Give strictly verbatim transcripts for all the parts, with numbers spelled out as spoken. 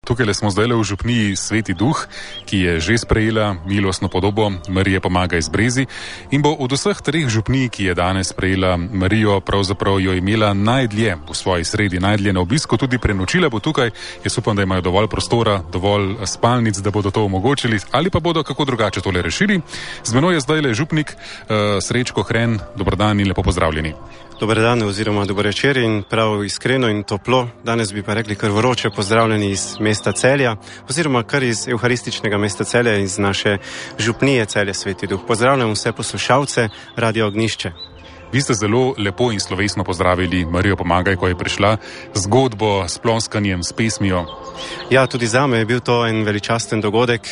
Tukaj smo zdaj v župniji Sveti Duh, ki je že sprejela milostno podobo Marije Pomaga iz Brezij in bo od vseh treh župnij, ki je danes sprejela Marijo, pravzaprav jo imela najdlje v svoji sredi, najdlje na obisku, tudi prenočila bo tukaj. Jaz upam, da imajo dovolj prostora, dovolj spalnic, da bodo to omogočili, ali pa bodo kako drugače tole rešili. Z menoj je zdaj le župnik uh, Srečko Hren. Dober dan in lepo pozdravljeni. Dober dan oziroma dober večer in prav iskreno in toplo. Danes bi pa rekli kar vroče pozdravljeni iz mesta Celja oziroma kar iz evharističnega mesta Celja, iz naše župnije Celje Sveti Duh. Pozdravljam vse poslušalce Radio Ognjišče. Vi ste zelo lepo in slovesno pozdravili Marijo Pomagaj, ko je prišla, zgodbo s ploskanjem, s pesmijo. Ja, tudi zame je bil to en veličasten dogodek.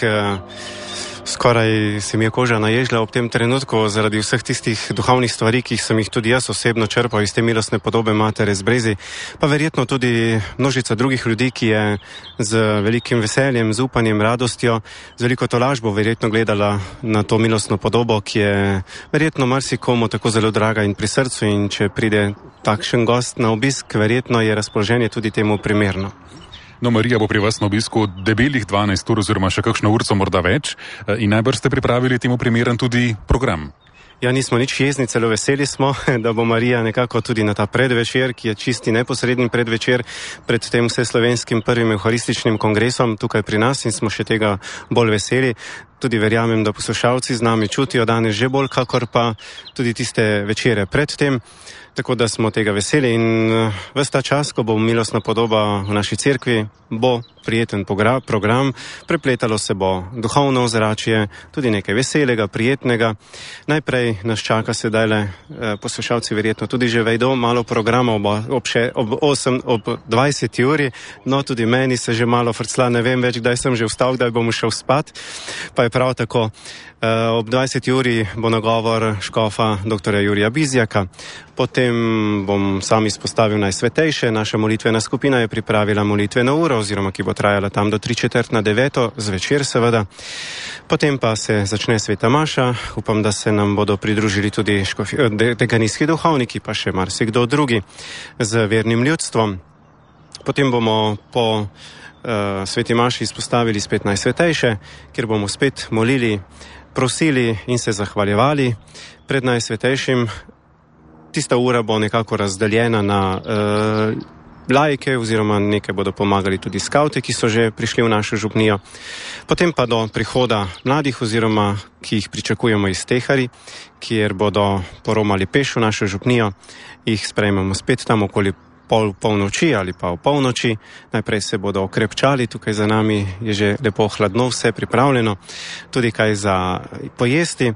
Skoraj se mi je koža naježila ob tem trenutku zaradi vseh tistih duhovnih stvari, ki sem jih tudi jaz osebno črpal iz te milostne podobe Matere z Brezij, pa verjetno tudi množica drugih ljudi, ki je z velikim veseljem, z upanjem, radostjo, z veliko tolažbo verjetno gledala na to milostno podobo, ki je verjetno marsikomu tako zelo draga in pri srcu, in če pride takšen gost na obisk, verjetno je razpoloženje tudi temu primerno. No, Marija bo pri vas na obisku debelih dvanajst ur oziroma še kakšno urco morda več in najbrž ste pripravili temu primeren tudi program. Ja, nismo nič jezni, celo veseli smo, da bo Marija nekako tudi na ta predvečer, ki je čisti neposredni predvečer pred tem vseslovenskim prvim evharističnim kongresom tukaj pri nas, in smo še tega bolj veseli. Tudi verjamem, da poslušalci z nami čutijo danes že bolj, kakor pa tudi tiste večere pred tem. Tako da smo tega veseli in ves ta čas, ko bo milostna podoba v naši cerkvi, bo prijeten program, prepletalo se bo duhovno ozračje, tudi nekaj veselega, prijetnega. Najprej nas čaka sedaj le, poslušalci verjetno tudi že vedo, malo programa ob, ob, še, ob, osem, ob dvajseti uri, no tudi meni se že malo frcla, ne vem več, kdaj sem že vstal, kdaj bom šel spat, pa je prav tako. Ob dvajseti uri bo nagovor škofa doktorja Jurija Bizjaka, potem bom sam izpostavil najsvetejše. Naša molitvena skupina je pripravila molitveno uro, oziroma ki bo trajala tam do tri četrt na deveto, zvečer seveda. Potem pa se začne sveta maša, upam, da se nam bodo pridružili tudi škofi, de, dekanijski duhovniki, pa še marsikdo drugi z vernim ljudstvom. Potem bomo po uh, sveti maši izpostavili spet najsvetejše, kjer bomo spet molili, prosili in se zahvaljevali pred najsvetejšim. Tista ura bo nekako razdeljena na uh, laike, oziroma nekaj bodo pomagali tudi skavti, ki so že prišli v našo župnijo. Potem pa do prihoda mladih, oziroma ki jih pričakujemo iz Tehari, kjer bodo poromali peš v našo župnijo, jih sprejmemo spet tam okoli pol polnoči ali pa v polnoči. Najprej se bodo okrepčali, tukaj za nami je že lepo hladno, vse pripravljeno, tudi kaj za pojesti.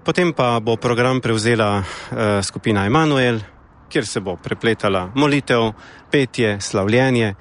Potem pa bo program prevzela uh, skupina Emanuel, kjer se bo prepletala molitev, petje, slavljenje,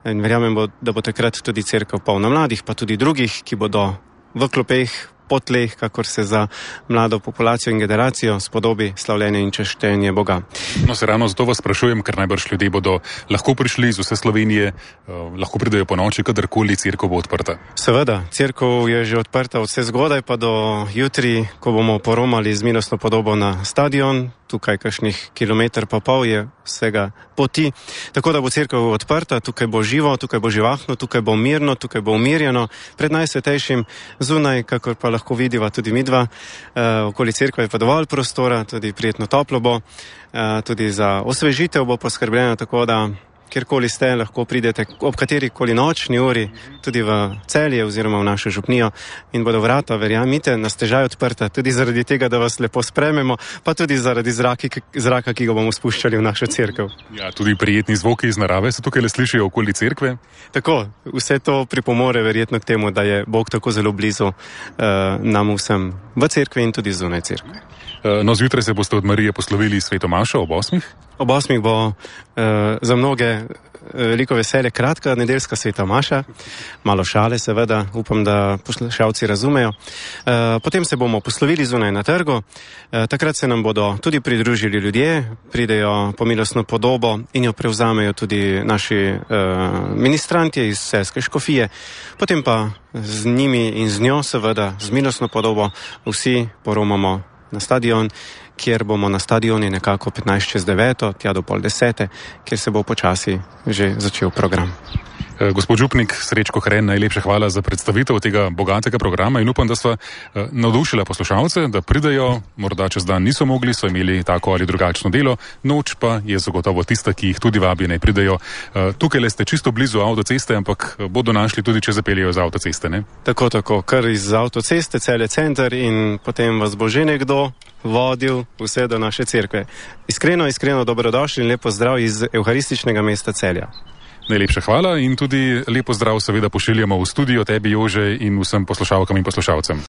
in verjamem, bo, da bo takrat tudi cerkev polna mladih, pa tudi drugih, ki bodo v klopeh, po tleh, kakor se za mlado populacijo in generacijo spodobi slavljenje in češtenje Boga. No, se ravno zato vas sprašujem, ker najbrž ljudje bodo lahko prišli iz vse Slovenije, uh, lahko pridejo po noči, kadarkoli cerkev bo odprta. Seveda, cerkev je že odprta od vse zgodaj pa do jutri, ko bomo poromali z milostno podobo na stadion. Tukaj kakšnih kilometr pa pol je vsega poti, tako da bo cerkev odprta, tukaj bo živo, tukaj bo živahno, tukaj bo mirno, tukaj bo umirjeno. Pred najsvetejšim zunaj, kakor pa lahko vidiva tudi midva, uh, okoli cerkve je pa dovolj prostora, tudi prijetno toplo bo, uh, tudi za osvežitev bo poskrbljeno, tako da kjerkoli ste, lahko pridete ob katerikoli nočni uri, tudi v Celje oziroma v našo župnijo, in bodo vrata, verjamite, na stežaj odprta, tudi zaradi tega, da vas lepo sprememo, pa tudi zaradi zraki, zraka, ki ga bomo spuščali v našo cerkev. Ja, tudi prijetni zvoki iz narave se tukaj le slišijo okoli cerkve. Tako, vse to pripomore verjetno k temu, da je Bog tako zelo blizu uh, nam vsem v cerkvi in tudi zunaj cerkve. No, zjutraj se boste od Marije poslovili sveto mašo ob osmih? Ob osmih bo uh, za mnoge veliko veselje kratka nedeljska sveta maša, malo šale seveda, upam, da poslušalci razumejo. Uh, potem se bomo poslovili zunaj na trgu, uh, takrat se nam bodo tudi pridružili ljudje, pridejo po milostno podobo in jo prevzamejo tudi naši uh, ministrantje iz Celjske škofije, potem pa z njimi in z njo seveda, z milostno podobo, vsi poromamo na stadion kjer bomo na stadioni nekako petnajst čez deveto, tja do pol desete, kjer se bo počasi že začel program. Gospod župnik Srečko Hren, najlepša hvala za predstavitev tega bogatega programa in upam, da sva navdušila poslušalce, da pridejo, morda čez dan niso mogli, so imeli tako ali drugačno delo, noč pa je zagotovo tista, ki jih tudi vabi, naj pridejo. Tukaj le ste čisto blizu avtoceste, ampak bodo našli tudi, če zapeljejo z avtoceste, ne? Tako, tako, kar iz avtoceste, Celje center in potem vas bo že nekdo vodil vse do naše cerkve. Iskreno, iskreno dobrodošli in lepo zdrav iz evharističnega mesta Celja. Najlepša hvala in tudi lepo zdrav seveda pošiljamo v studio tebi, Jože, in vsem poslušalkam in poslušalcem.